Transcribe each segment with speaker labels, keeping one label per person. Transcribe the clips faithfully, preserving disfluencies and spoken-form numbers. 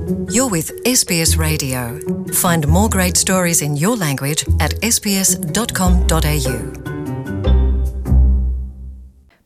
Speaker 1: You're with S B S Radio. Find more great stories in your language at s b s dot com dot a u.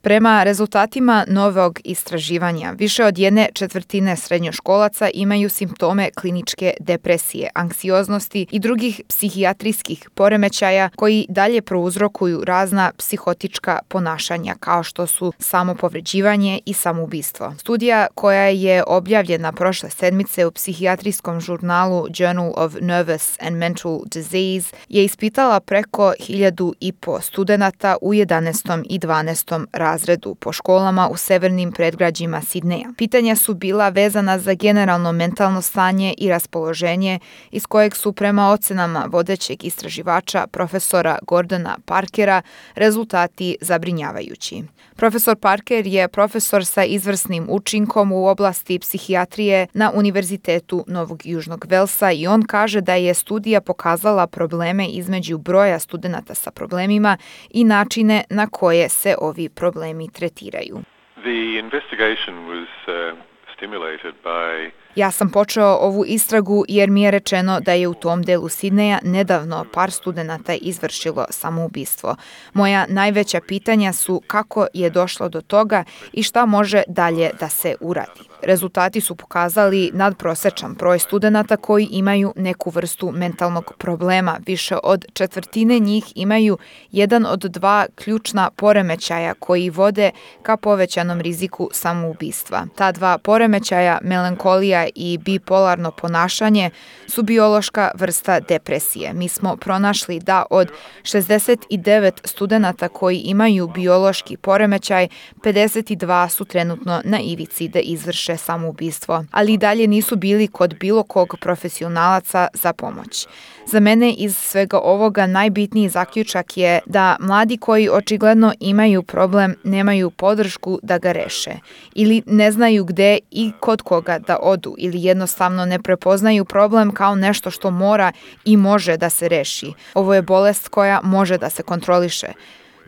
Speaker 2: Prema rezultatima novog istraživanja, više od jedne četvrtine srednjoškolaca imaju simptome kliničke depresije, anksioznosti i drugih psihijatrijskih poremećaja koji dalje prouzrokuju razna psihotička ponašanja kao što su samopovređivanje i samoubistvo. Studija koja je objavljena prošle sedmice u psihijatrijskom žurnalu Journal of Nervous and Mental Disease je ispitala preko hiljadu i po studenata u jedanaestom i dvanaestom razredu. razredu po školama u severnim predgrađima Sidneja. Pitanja su bila vezana za generalno mentalno stanje i raspoloženje iz kojeg su prema ocenama vodećeg istraživača profesora Gordona Parkera rezultati zabrinjavajući. Profesor Parker je profesor sa izvrsnim učinkom u oblasti psihijatrije na Univerzitetu Novog Južnog Velsa i on kaže da je studija pokazala probleme između broja studenata sa problemima i načine na koje se ovi problemi tretiraju.
Speaker 3: The investigation was uh, stimulated by
Speaker 2: Ja sam počeo ovu istragu jer mi je rečeno da je u tom delu Sidneja nedavno par studenata izvršilo samoubistvo. Moja najveća pitanja su kako je došlo do toga i šta može dalje da se uradi. Rezultati su pokazali nadprosečan broj studenata koji imaju neku vrstu mentalnog problema. Više od četvrtine njih imaju jedan od dva ključna poremećaja koji vode ka povećanom riziku samoubistva. Ta dva poremećaja, melankolija i bipolarno ponašanje, su biološka vrsta depresije. Mi smo pronašli da od šezdeset devet studenata koji imaju biološki poremećaj, pedeset dva su trenutno na ivici da izvrše samoubistvo, ali i dalje nisu bili kod bilo kog profesionalaca za pomoć. Za mene iz svega ovoga najbitniji zaključak je da mladi koji očigledno imaju problem nemaju podršku da ga reše ili ne znaju gde i kod koga da odu ili jednostavno ne prepoznaju problem kao nešto što mora i može da se reši. Ovo je bolest koja može da se kontroliše.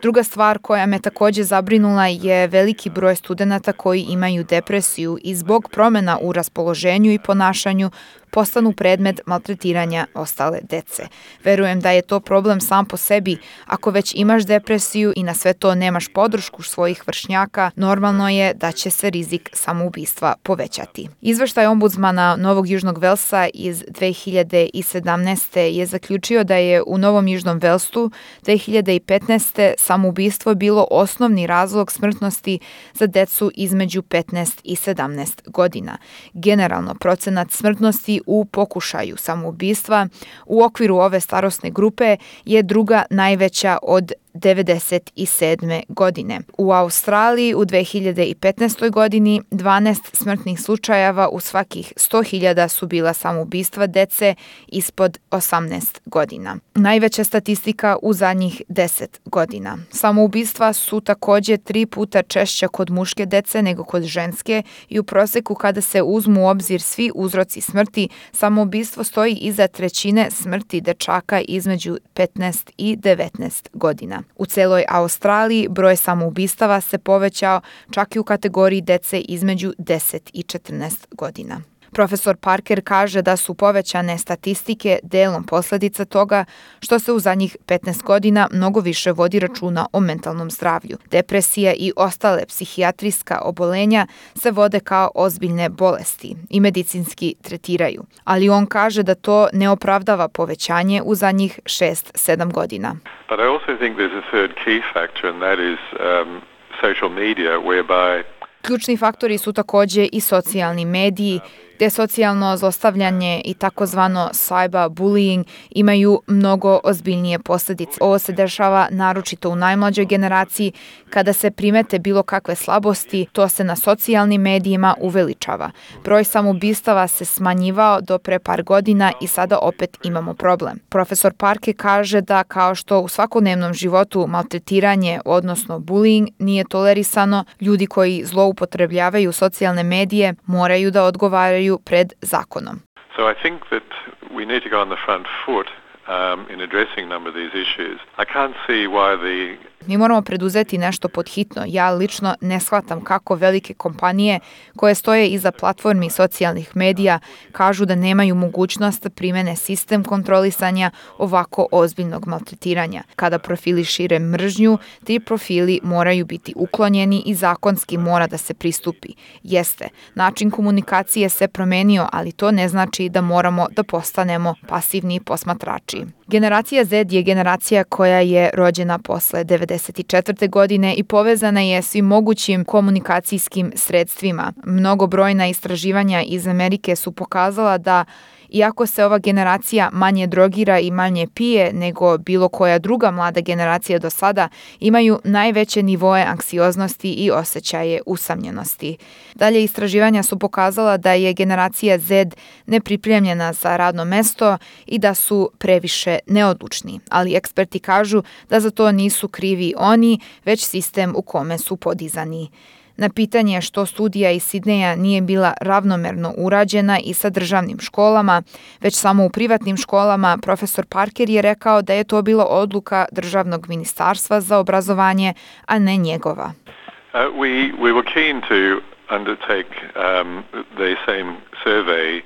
Speaker 2: Druga stvar koja me također zabrinula je veliki broj studenata koji imaju depresiju i zbog promjena u raspoloženju i ponašanju postanu predmet maltretiranja ostale dece. Verujem da je to problem sam po sebi. Ako već imaš depresiju i na sve to nemaš podršku svojih vršnjaka, normalno je da će se rizik samoubistva povećati. Izveštaj ombudsmana Novog Južnog Velsa iz dve hiljade sedamnaeste. je zaključio da je u Novom Južnom Velsu dve hiljade petnaeste. samoubistvo bilo osnovni razlog smrtnosti za decu između petnaest i sedamnaest godina. Generalno, procenat smrtnosti u pokušaju samoubistva u okviru ove starosne grupe je druga najveća od devedeset sedme. godine. U Australiji u dve hiljade petnaestoj. godini dvanaest smrtnih slučajeva u svakih sto hiljada su bila samoubistva dece ispod osamnaest godina. Najveća statistika u zadnjih deset godina. Samoubistva su također tri puta češća kod muške dece nego kod ženske i u proseku kada se uzmu u obzir svi uzroci smrti, samoubistvo stoji iza trećine smrti dečaka između petnaest i devetnaest godina. U celoj Australiji broj samoubistava se povećao čak i u kategoriji dece između deset i četrnaest godina. Profesor Parker kaže da su povećane statistike delom posljedica toga što se u zadnjih petnaest godina mnogo više vodi računa o mentalnom zdravlju. Depresija i ostale psihijatrijska obolenja se vode kao ozbiljne bolesti i medicinski tretiraju, ali on kaže da to ne opravdava povećanje u zadnjih šest sedam godina.
Speaker 3: But I also think there's a third key factor and that is um, social media whereby
Speaker 2: Ključni faktori su također i socijalni mediji, gdje socijalno zlostavljanje i takozvano cyberbullying imaju mnogo ozbiljnije posljedice. Ovo se dešava naročito u najmlađoj generaciji. Kada se primete bilo kakve slabosti, to se na socijalnim medijima uveličava. Broj samoubistava se smanjivao do pre par godina i sada opet imamo problem. Profesor Parker kaže da kao što u svakodnevnom životu maltretiranje, odnosno bullying, nije tolerisano, ljudi koji zloupotrebljavaju socijalne medije moraju da odgovaraju pred zakonom.
Speaker 3: So I think that we need to go on the front foot um, in addressing a number of these issues. I can't see why the
Speaker 2: Mi moramo preduzeti nešto podhitno. Ja lično ne shvatam kako velike kompanije koje stoje iza platformi socijalnih medija kažu da nemaju mogućnost da primene sistem kontrolisanja ovako ozbiljnog maltretiranja. Kada profili šire mržnju, ti profili moraju biti uklonjeni i zakonski mora da se pristupi. Jeste, način komunikacije se promenio, ali to ne znači da moramo da postanemo pasivni posmatrači. Generacija Z je generacija koja je rođena posle devedeset četvrte godine i povezana je svim mogućim komunikacijskim sredstvima. Mnogobrojna istraživanja iz Amerike su pokazala da iako se ova generacija manje drogira i manje pije nego bilo koja druga mlada generacija do sada, imaju najveće nivoe anksioznosti i osjećaje usamljenosti. Dalje, istraživanja su pokazala da je generacija Z nepripremljena za radno mesto i da su previše neodlučni, ali eksperti kažu da za to nisu krivi oni, već sistem u kome su podizani. Na pitanje što studija iz Sidneja nije bila ravnomerno urađena i sa državnim školama, već samo u privatnim školama, profesor Parker je rekao da je to bila odluka Državnog ministarstva za obrazovanje, a ne njegova.
Speaker 3: Uh, we, we were keen to undertake um, the same survey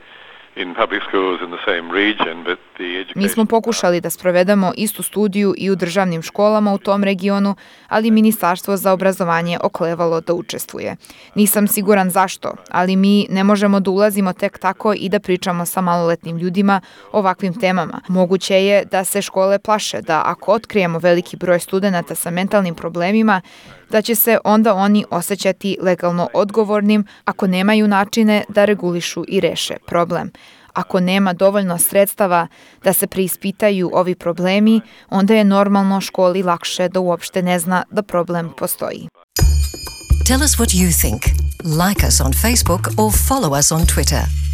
Speaker 3: in public schools in the same region, but the education...
Speaker 2: Mi smo pokušali da sprovedemo istu studiju i u državnim školama u tom regionu, ali Ministarstvo za obrazovanje oklevalo da učestvuje. Nisam siguran zašto, ali mi ne možemo da ulazimo tek tako i da pričamo sa maloletnim ljudima o ovakvim temama. Moguće je da se škole plaše da ako otkrijemo veliki broj studenata sa mentalnim problemima, da će se onda oni osjećati legalno odgovornim ako nemaju načine da regulišu i reše problem. Ako nema dovoljno sredstava da se preispitaju ovi problemi, onda je normalno školi lakše da uopšte ne zna da problem postoji.
Speaker 1: Tell us what you think. Like us on Facebook or follow us on Twitter.